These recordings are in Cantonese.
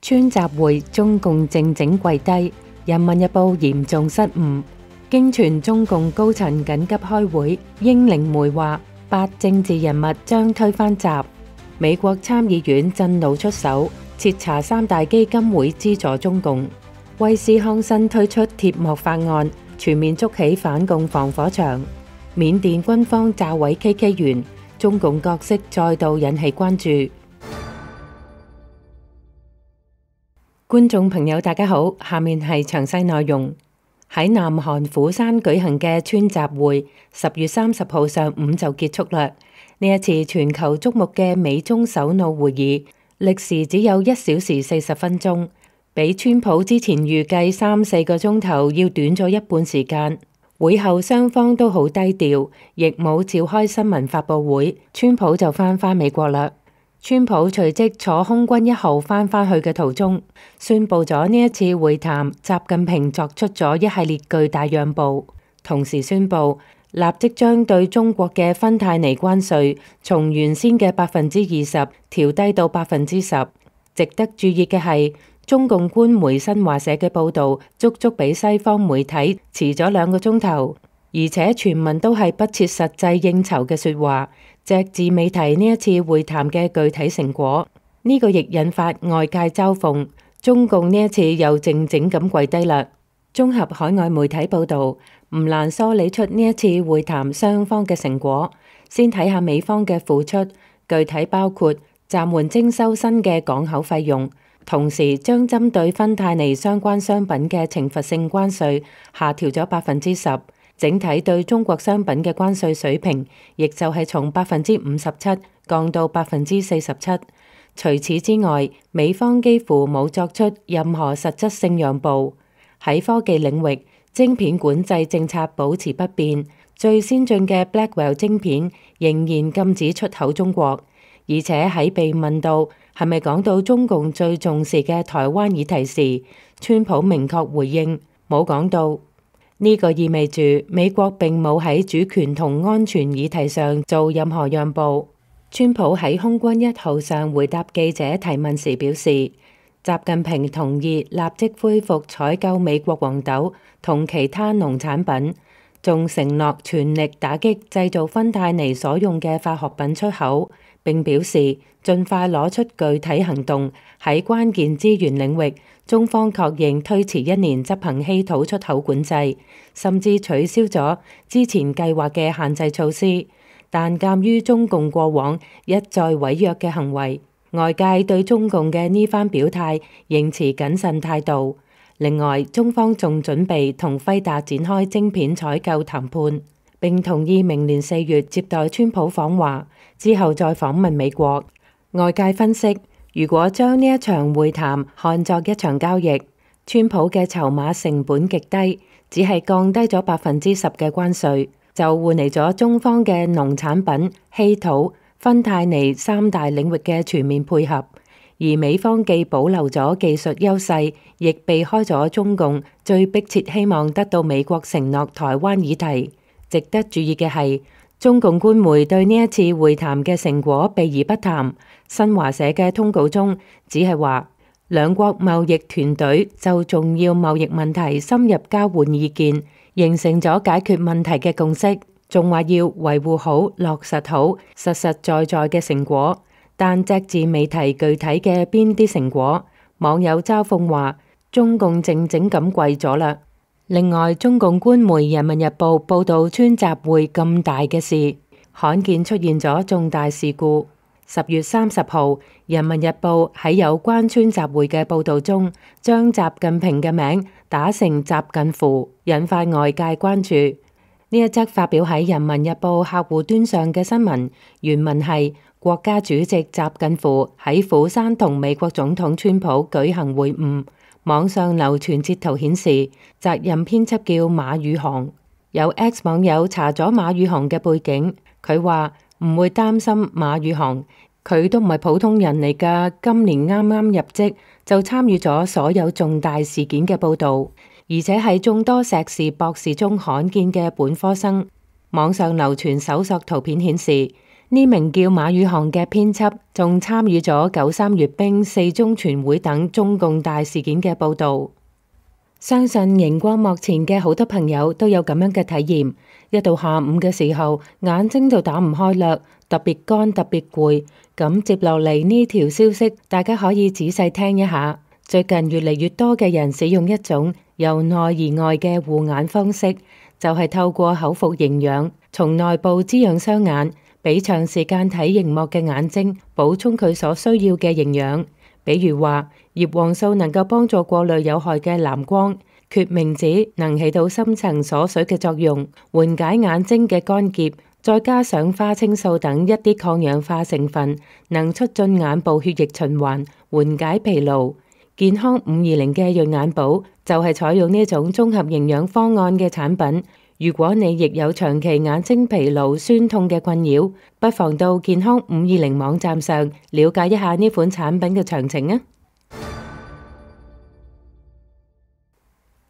川習會中共靜靜跪低，人民日報嚴重失誤。經傳中共高層緊急開會，英靈媒話8政治人物將推翻習。美國參議院震怒出手，徹查3大基金會資助中共。威斯康辛推出鐵幕法案，全面築起反共防火牆。緬甸軍方炸毀 KK 園，中共角色再度引起關注。觀眾朋友大家好，下面係詳細內容。喺南韓釜山舉行嘅川習會10月30號上午就結束啦。呢一次全球矚目嘅美中首腦會議，歷時只有1小時40分鐘，比川普之前預計3-4個鐘頭要短咗一半時間。會後雙方都好低調，亦冇召開新聞發佈會，川普就返美國啦。川普隨即坐空軍1號返去嘅途中，宣布咗呢一次會談，習近平作出咗一系列巨大讓步，同時宣布立即將對中國嘅芬太尼關稅從原先嘅20%調低到10%。值得注意嘅係，中共官媒新華社嘅報導足足比西方媒體遲咗2個鐘頭，而且全文都係不切實際應酬嘅說話，隻字未提呢一次會談嘅具體成果。呢個亦引發外界嘲諷，中共呢一次又靜靜咁跪低啦。綜合海外媒體報導，唔難梳理出呢一次會談雙方嘅成果。先睇下美方嘅付出，具體包括暫緩徵收新嘅港口費用，同時將針對芬太尼相關商品嘅懲罰性關稅下調咗10%，整體對中國商品嘅關稅水平亦就係從57%降到47%。除此之外，美方幾乎冇作出任何實質性讓步。喺科技領域，晶片管制政策保持不變，最先進嘅 Blackwell 晶片仍然禁止出口中國。而且喺被問到係咪講到中共最重視嘅台灣議題時，川普明確回應冇講到。呢個意味住美國並冇喺主權同安全議題上做任何讓步。川普喺空軍1號上回答記者提問時表示，習近平同意立即恢復採購美國黃豆同其他農產品，仲承諾全力打擊製造芬太尼所用嘅化學品出口，並表示盡快攞出具體行動。喺關鍵資源領域，中方確認推遲1年執行稀土出口管制，甚至取消咗之前計劃嘅限制措施。但鑑於中共過往一再違約嘅行為，外界對中共嘅呢番表態仍持謹慎態度。另外，中方仲準備同輝達展開晶片採購談判，並同意明年4月接待川普訪華，之後再訪問美國。外界分析，如果將呢一場會談看作一場交易，川普嘅籌碼成本極低，只係降低咗10%嘅關稅，就換嚟咗中方嘅農產品、稀土、芬太尼3大領域嘅全面配合。而美方既保留咗技術優勢，亦避開咗中共最迫切希望得到美國承諾台灣議題。值得注意嘅係，中共官媒對呢一次會談嘅成果避而不談。新華社嘅通稿中只係話，兩國貿易團隊就重要貿易問題深入交換意見，形成咗解決問題嘅共識，仲話要維護好、落實好實實在在嘅成果。但隻字未提具體嘅邊啲成果，網友嘲諷話中共靜靜咁跪咗啦。另外，中共官媒《人民日報》報道川習會咁大嘅事，罕見出現咗重大事故。10月30號，《人民日報》喺有關川習會嘅報道中，將習近平嘅名打成習近乎，引發外界關注。呢一則發表喺《人民日報》客戶端上嘅新聞，原文係國家主席習近乎喺釜山同美國總統川普舉行會晤。網上流傳截圖顯示，責任編輯叫馬宇航。有 X 網友查咗馬宇航嘅背景，佢話唔會擔心馬宇航，佢都唔係普通人嚟㗎。今年啱啱入職就參與咗所有重大事件嘅報導，而且係眾多碩士博士中罕見嘅本科生。網上流傳搜索圖片顯示，呢名叫馬宇航嘅編輯仲參與咗93閱兵、4中全會等中共大事件嘅報導。相信熒光幕前嘅好多朋友都有咁樣嘅體驗，一到下午嘅時候，眼睛就打唔開啦，特別乾，特別攰。咁接落嚟呢條消息，大家可以仔細聽一下。最近越嚟越多嘅人使用一種由內而外嘅護眼方式，就係透過口服營養，從內部滋養雙眼，俾長時間睇熒幕嘅眼睛補充佢所需要嘅營養。比如話，葉黃素能夠幫助過濾有害嘅藍光，決明子能起到深層鎖水嘅作用，緩解眼睛嘅乾澀，再加上花青素等一啲抗氧化成分，能促進眼部血液循環，緩解疲勞。健康520嘅潤眼寶就係採用呢種綜合營養方案嘅產品。如果你亦有長期眼睛疲勞、酸痛嘅困擾，不妨到健康520網站上了解一下呢款產品嘅詳情啊！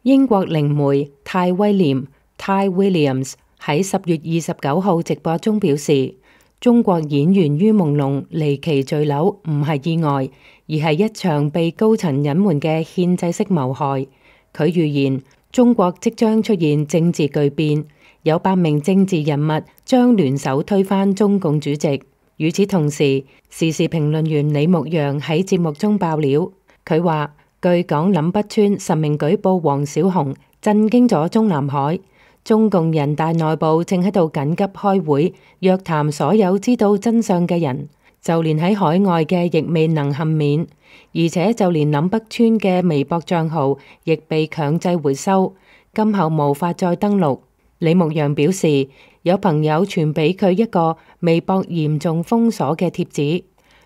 英國靈媒泰威廉 （Ty Williams） 喺10月29號直播中表示，中國演員于朦朧離奇墜樓唔係意外，而係一場被高層隱瞞嘅獻祭式謀害。佢預言中國即將出現政治巨變，有8名政治人物將聯手推翻中共主席。與此同時，時事評論員李牧陽喺節目中爆料，佢話據講林北川實名舉報王小洪，震驚咗中南海。中共人大內部正喺度緊急開會，約談所有知道真相嘅人，就連喺海外嘅亦未能幸免。而且就連林北川嘅微博賬號亦被強制回收，今後無法再登錄。李牧陽表示，有朋友傳俾佢一個微博嚴重封鎖嘅貼紙，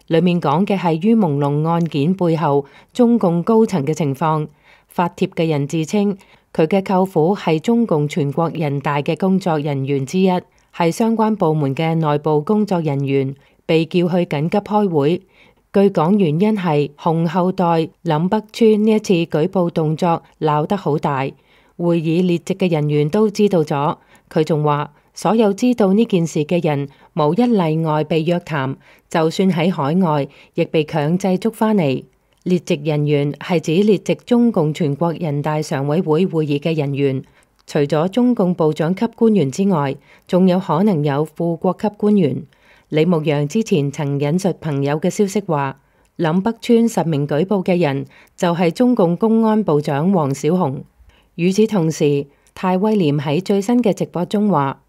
裡面講嘅係于朦朧案件背後中共高層嘅情況。發帖嘅人自稱佢嘅舅父係中共全國人大嘅工作人員之一，係相關部門嘅內部工作人員，被叫去緊急開會。據講原因係洪後代林北川呢一次舉報動作鬧得好大，會議列席嘅人員都知道咗。佢仲話所有知道呢件事嘅人無一例外被約談，就算喺海外亦被強制捉返嚟。列席人員係指列席中共全國人大常委會會議嘅人員，除咗中共部長級官員之外，仲有可能有副國級官員。李牧陽之前曾引述朋友嘅消息話，林北川實名舉報嘅人就係中共公安部長王小洪。與此同時，泰威廉喺最新嘅直播中話，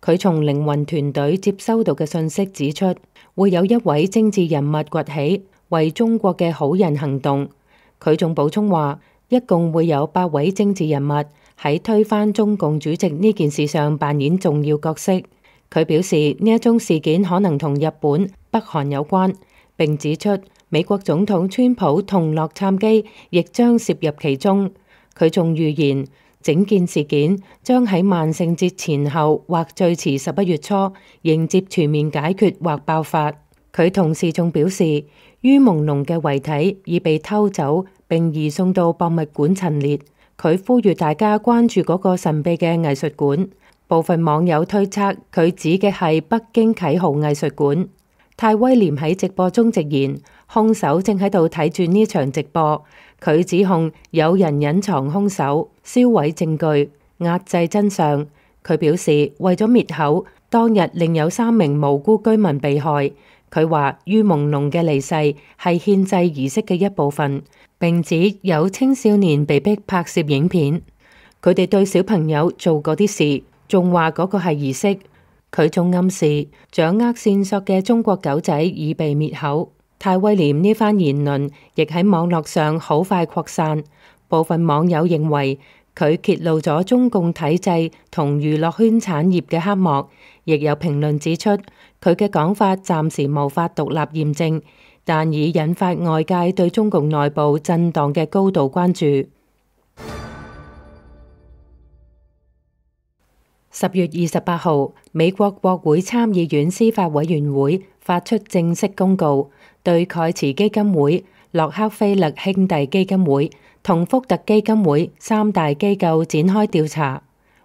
佢從靈魂團隊接收到嘅信息指出，會有一位政治人物崛起，為中國嘅好人行動。佢仲補充話，一共會有8位政治人物喺推翻中共主席呢件事上扮演重要角色。佢表示呢一宗事件可能同日本、北韓有關，並指出美國總統川普同洛杉磯亦將涉入其中。佢仲預言整件事件將喺萬聖節前後或最遲11月初迎接全面解決或爆發。佢同時仲表示，于朦朧嘅遺體已被偷走並移送到博物館陳列。佢呼籲大家關注嗰個神秘嘅藝術館。部分網友推測佢指嘅係北京啟豪藝術館。泰威廉喺直播中直言，兇手正喺度睇住呢場直播。佢指控有人隱藏兇手、銷毀證據、壓制真相。佢表示，為咗滅口，當日另有3名無辜居民被害。佢話于朦朧嘅離世係獻祭儀式嘅一部分，並指有青少年被逼拍攝影片，佢哋對小朋友做嗰啲事。仲話嗰個係儀式。佢仲暗示掌握線索嘅中國狗仔已被滅口。泰威廉呢番言論亦喺網絡上好快擴散，部分網友認為佢揭露咗中共體制同娛樂圈產業嘅黑幕，亦有評論指出佢嘅講法暫時無法獨立驗證，但已引發外界對中共內部震盪嘅高度關注。10月28號，美國國會參議院司法委員會發出正式公告，對蓋茨基金會、洛克菲勒兄弟基金會同福特基金會3大機構展開調查。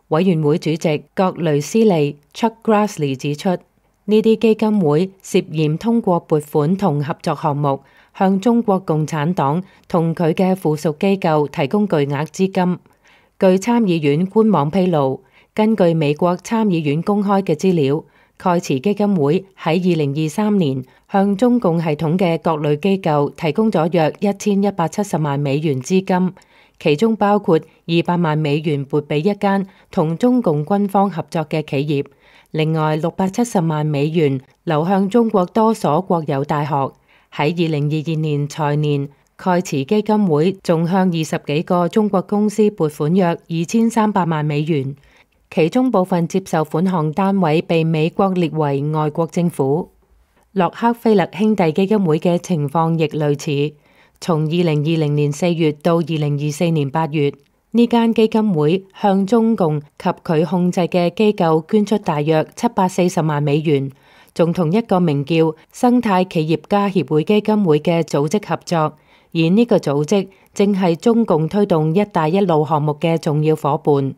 委員會主席葛雷斯利 Chuck Grassley 指出，呢啲基金會涉嫌通過撥款同合作項目，向中國共產黨同佢嘅附屬機構提供巨額資金。據參議院官網披露，根據美國參議院公開嘅資料，蓋茨基金會喺2023年向中共系統嘅各類機構提供咗約1170萬美元資金，其中包括200萬美元撥俾一間同中共軍方合作嘅企業，另外670萬美元流向中國多所國有大學。喺2022年財年，蓋茨基金會仲向20幾個中國公司撥款約2300萬美元，其中部分接受款項單位被美國列為外國政府。洛克菲勒兄弟基金會嘅情況亦類似，從2020年4月到2024年8月，呢間基金會向中共及佢控制嘅機構捐出大約740萬美元，仲同一個名叫生態企業家協會基金會嘅組織合作，而呢個組織正係中共推動一帶一路項目嘅重要夥伴。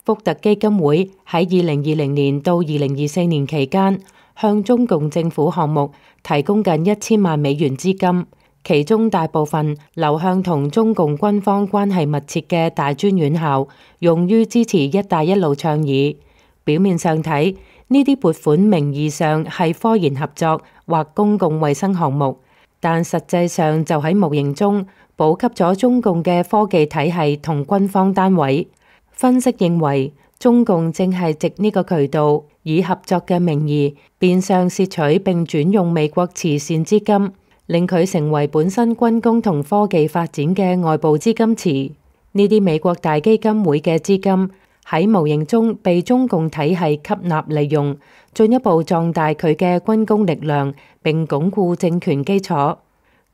福特基金會喺2020年到2024年期間，向中共政府項目提供近1000萬美元資金，其中大部分流向同中共軍方關係密切嘅大專院校，用於支持一帶一路倡議。表面上睇，呢啲撥款名義上係科研合作或公共衛生項目，但實際上就喺無形中補給咗中共嘅科技體系同軍方單位。分析認為，中共正係藉呢個渠道，以合作嘅名義，變相竊取並轉用美國慈善資金，令佢成為本身軍工同科技發展嘅外部資金池。呢啲美國大基金會嘅資金喺無形中被中共體系吸納利用，進一步壯大佢嘅軍工力量，並鞏固政權基礎。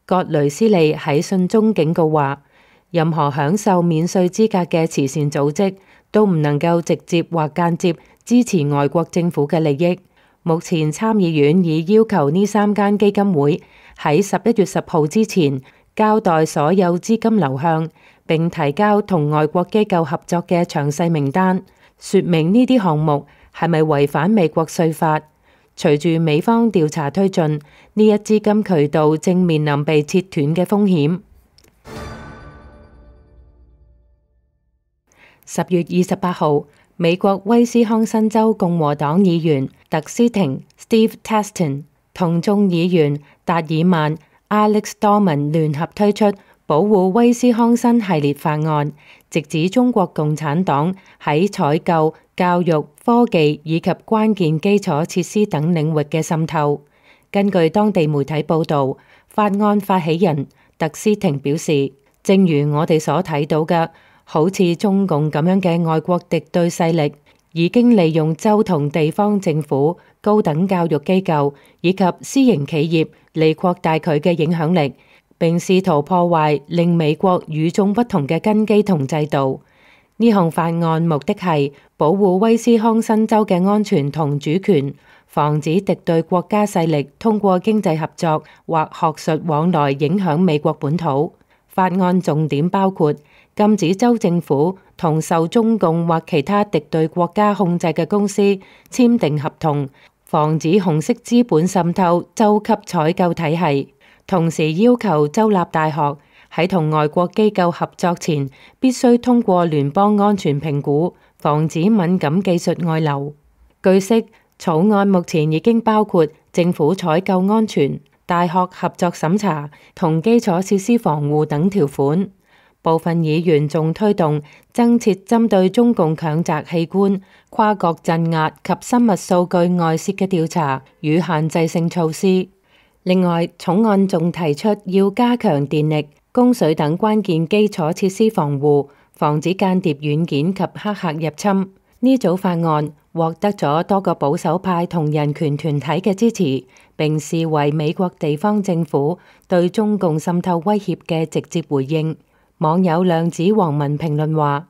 葛雷斯利喺信中警告話，任何享受免稅資格嘅慈善組織都唔能夠直接或間接支持外國政府嘅利益。目前參議院已要求呢3間基金會喺11月10號之前交代所有資金流向，並提交同外國機構合作嘅詳細名單，說明呢啲項目係咪違反美國稅法。隨住美方調查推進，呢一資金渠道正面臨被切斷嘅風險。10月28號，美國威斯康辛州共和黨議員特斯廷 Steve Taston 同眾議員達爾曼 Alex Dorman 聯合推出保護威斯康辛系列法案，直指中國共產黨喺採購、教育、科技以及關鍵基礎設施等領域嘅滲透。根據當地媒體報導，法案發起人特斯廷表示，正如我哋所睇到嘅，好似中共咁樣嘅外國敵對勢力，已經利用州同地方政府、高等教育機構以及私營企業嚟擴大佢嘅影響力，並試圖破壞令美國與眾不同嘅根基同制度。呢項法案目的係保護威斯康辛州嘅安全同主權，防止敵對國家勢力通過經濟合作或學術往來影響美國本土。法案重點包括禁止州政府同受中共或其他敵對國家控制嘅公司簽訂合同，防止紅色資本滲透州級採購體系，同時要求州立大學喺同外國機構合作前必須通過聯邦安全評估，防止敏感技術外流。據悉，草案目前已經包括政府採購安全、大學合作審查同基礎設施防護等條款。部分議員仲推動增設針對中共強摘器官、跨國鎮壓及生物數據外泄嘅調查與限制性措施。另外，草案仲提出要加強電力、供水等關鍵基礎設施防護，防止間諜軟件及黑客入侵。呢組法案獲得咗多個保守派同人權團體嘅支持，並視為美國地方政府對中共滲透威脅嘅直接回應。網友量子黃文評論話，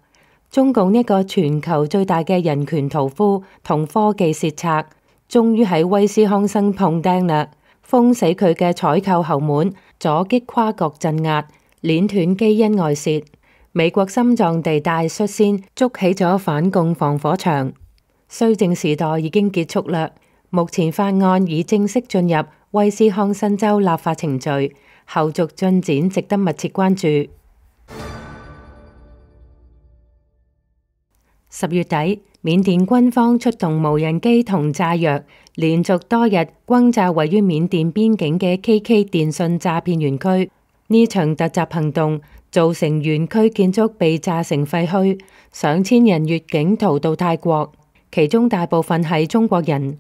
中共一個全球最大嘅人權屠夫同科技竊賊，終於喺威斯康辛碰釘啦，封死佢嘅採購後門，阻擊跨國鎮壓，鏈斷基因外泄。美國心臟地帶率先築起咗反共防火牆。綏靖時代已經結束啦，目前法案已正式進入威斯康辛州立法程序，後續進展值得密切關注。10月底，緬甸軍方出動無人機同炸藥，連續多日轟炸位於緬甸邊境嘅 KK 電信詐騙園區。呢場突襲行動造成園區建築被炸成廢墟，上千人越境逃到泰國，其中大部分係中國人。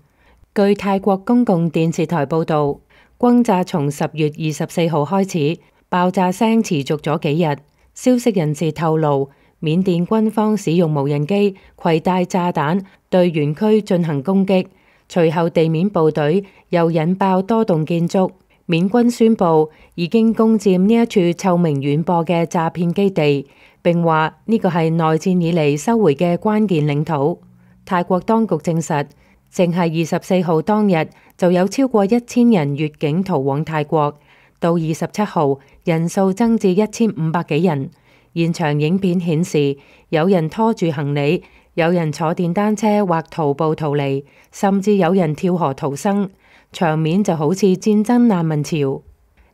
據泰國公共電視台報導，轟炸從10月24號開始，爆炸聲持續咗幾日。消息人士透露，緬甸軍方使用無人機攜帶炸彈對園區進行攻擊，隨後地面部隊又引爆多棟建築。緬軍宣布已經攻佔呢一處臭名遠播嘅詐騙基地，並話呢個係內戰以嚟收回嘅關鍵領土。泰國當局證實，淨係24號當日就有超過1000人越境逃往泰國，到27號人數增至1500幾人。現場影片顯示，有人拖住行李，有人坐電單車或徒步逃離，甚至有人跳河逃生，場面就好似戰爭難民潮。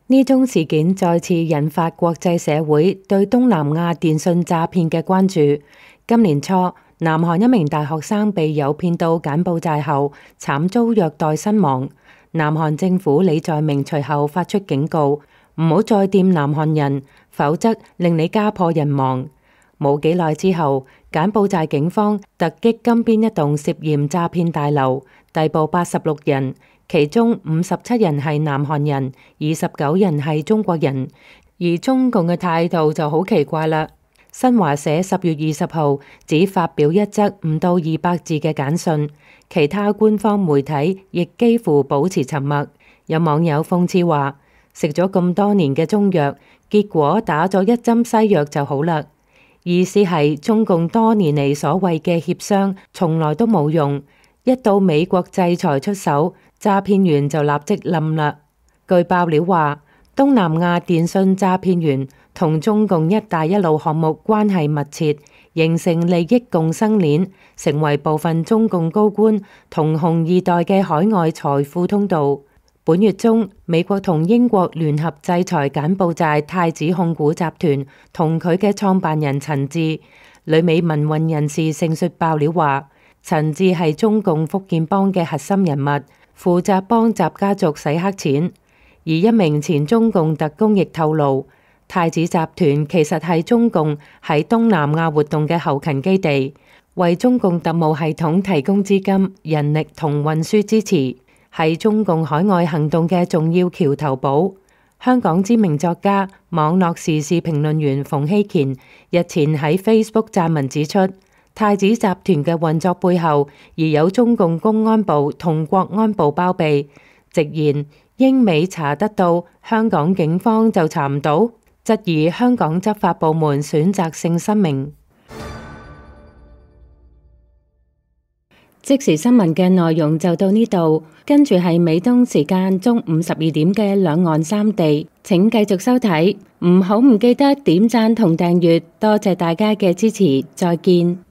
呢宗事件再次引發國際社會對東南亞電信詐騙嘅關注。今年初，南韓一名大學生被誘騙到柬埔寨後，慘遭虐待身亡。南韓政府李在明隨後發出警告，唔好再掂南韓人，否則令你家破人亡。冇幾耐之後，柬埔寨警方突擊金邊一棟涉嫌詐騙大樓，逮捕86人，其中57人係南韓人，29人係中國人。而中共嘅態度就好奇怪啦。新華社10月20號只發表一則唔到200字嘅簡訊，其他官方媒體亦幾乎保持沉默。有網友諷刺話，食咗咁多年嘅中藥，結果打咗一針西藥就好啦。意思係中共多年嚟所謂嘅協商從來都冇用，一到美國制裁出手，詐騙員就立即冧啦。據爆料話，東南亞電信詐騙員同中共一帶一路項目關係密切，形成利益共生鏈，成為部分中共高官同紅二代嘅海外財富通道。本月中，美國同英國聯合制裁柬埔寨太子控股集團同佢嘅創辦人陳志。旅美民運人士盛述爆料話，陳志係中共福建幫嘅核心人物，負責幫習家族洗黑錢。而一名前中共特工亦透露，太子集團其實係中共喺東南亞活動嘅後勤基地，為中共特務系統提供資金、人力同運輸支持，係中共海外行動嘅重要橋頭堡。香港知名作家、網絡時事評論員馮希賢日前喺 Facebook 撰文指出，太子集團嘅運作背後而有中共公安部同國安部包庇，直言英美查得到，香港警方就查唔到，質疑香港執法部門選擇性失明。即時新聞嘅內容就到呢度，跟住係美東時間中午12點嘅兩岸三地，請繼續收睇，唔記得點讚同訂閱，多謝大家嘅支持，再見。